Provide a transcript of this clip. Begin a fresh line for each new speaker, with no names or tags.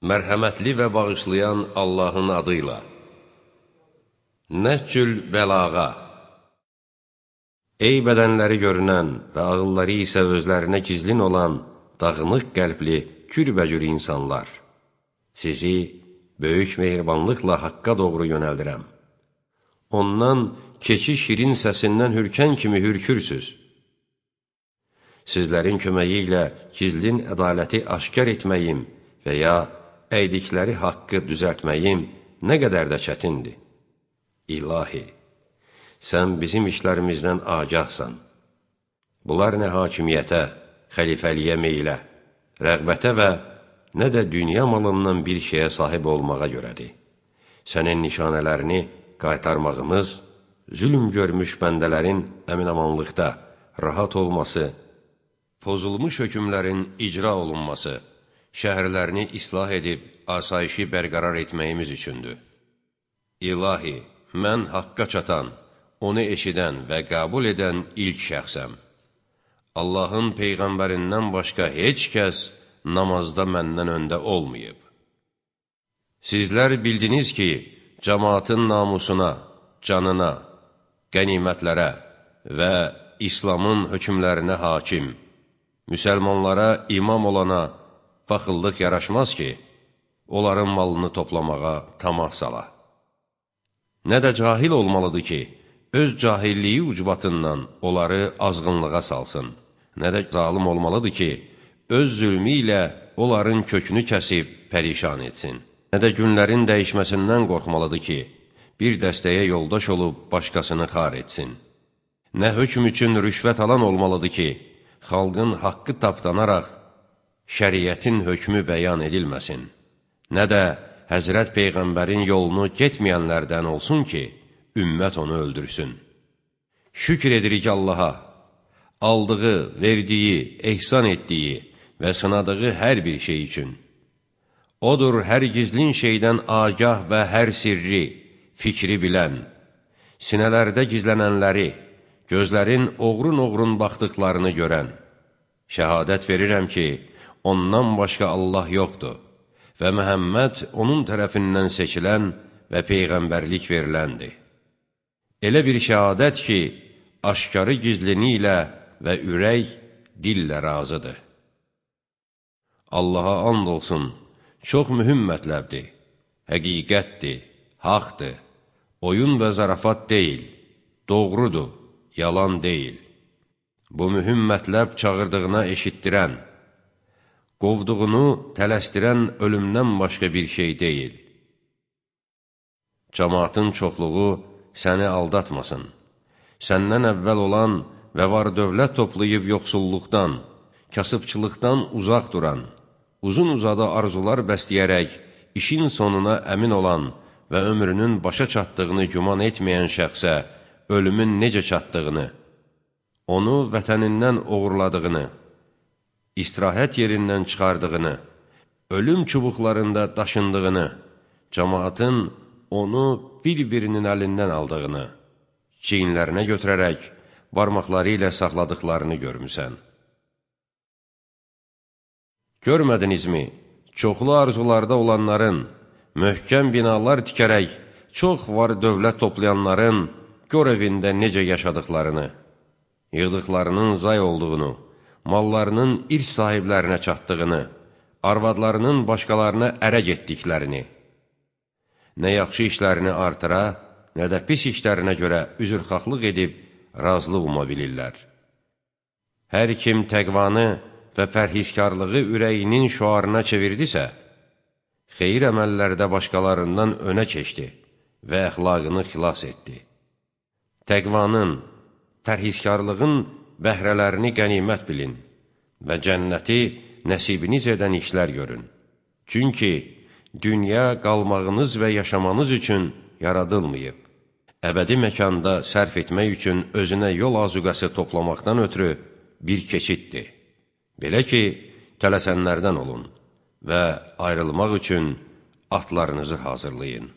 Mərhəmətli və bağışlayan Allahın adıyla. Nəhcül bəlağa. Ey bədənləri görünən və ağılları isə özlərinə gizlin olan dağınıq qəlbli, kürbəcür insanlar. Sizi böyük mehribanlıqla haqqa doğru yönəldirəm. Ondan keçi şirin səsindən hürkən kimi hürkürsüz. Sizlərin köməyi ilə gizlin ədaləti aşkar etməyim və ya əydikləri haqqı düzəltməyim nə qədər də çətindir. İlahi, sən bizim işlərimizdən agahsan. Bunlar nə hakimiyyətə, xəlifəliyə meylə, rəğbətə və nə də dünya malından bir şeyə sahib olmağa görədir. Sənin nişanələrini qaytarmağımız, zülm görmüş bəndələrin əminamanlıqda rahat olması, pozulmuş hökmlərin icra olunması, şəhərlərini islah edib asayişi bərqərar etməyimiz üçündür. İlahi, mən haqqa çatan, onu eşidən və qəbul edən ilk şəxsəm. Allahın Peyğəmbərindən başqa heç kəs namazda məndən öndə olmayıb. Sizlər bildiniz ki, cəmaatın namusuna, canına, qənimətlərə və İslamın hökmlərinə hakim, müsəlmanlara imam olana baxıllıq yaraşmaz ki, onların malını toplamağa tamah sala. Nə də cahil olmalıdır ki, öz cahilliyi ucbatından onları azğınlığa salsın. Nə də zalim olmalıdır ki, öz zülmü ilə onların kökünü kəsib pərişan etsin. Nə də günlərin dəyişməsindən qorxmalıdır ki, bir dəstəyə yoldaş olub başqasını xar etsin. Nə hökm üçün rüşvət alan olmalıdır ki, xalqın haqqı tapdanaraq şəriətin hökmü bəyan edilməsin. Nə də Həzrət Peyğəmbərin yolunu getməyənlərdən olsun ki, ümmət onu öldürsün. Şükür edirik Allaha, aldığı, verdiyi, ehsan etdiyi və sınadığı hər bir şey üçün. Odur hər gizlin şeydən agah və hər sirri, fikri bilən, sinələrdə gizlənənləri, gözlərin oğrun-oğrun baxdıqlarını görən. Şəhadət verirəm ki, ondan başqa Allah yoxdur və Məhəmməd onun tərəfindən seçilən və Peyğəmbərlik veriləndir. Elə bir şəhadət ki, aşkarı gizlini ilə və ürək dillə razıdır. Allaha and olsun, çox mühüm mətləbdir, həqiqətdir, haqdır, oyun və zarafat deyil, doğrudur, yalan deyil. Bu mühüm mətləb çağırdığına eşitdirən, qovduğunu tələsdirən ölümdən başqa bir şey deyil. Cəmaatın çoxluğu səni aldatmasın. Səndən əvvəl olan və var dövlət toplayıb yoxsulluqdan, kasıbçılıqdan uzaq duran, uzun-uzadı arzular bəsləyərək işin sonuna əmin olan və ömrünün başa çatdığını güman etməyən şəxsə ölümün necə çatdığını, onu vətənindən oğurladığını, istirahət yerindən çıxardığını, ölüm çubuqlarında daşındığını, cəmaatın onu bir-birinin əlindən aldığını, çiyinlərinə götürərək barmaqları ilə saxladıqlarını görmüsən. Görmədinizmi, çoxlu arzularda olanların, möhkəm binalar tikərək, çox var dövlət toplayanların gör evində necə yaşadıqlarını, yığdıqlarının zay olduğunu, mallarının irs sahiblərinə çatdığını, arvadlarının başqalarına ərə getdiklərini, nə yaxşı işlərini artıra, nə də pis işlərinə görə üzrxahlıq edib razılıq uma bilirlər. Hər kim təqvanı və pərhizkarlığı ürəyinin şüarına çevirdisə, xeyir əməllərdə başqalarından önə keçdi və əxlaqını xilas etdi. Təqvanın, pərhizkarlığın bəhrələrini qənimət bilin və cənnəti nəsibiniz edən işlər görün. Çünki dünya qalmağınız və yaşamanız üçün yaradılmayıb. Əbədi məkanda sərf etmək üçün özünə yol azuqəsi toplamaqdan ötürü bir keçiddir. Belə ki, tələsənlərdən olun və ayrılmaq üçün atlarınızı hazırlayın.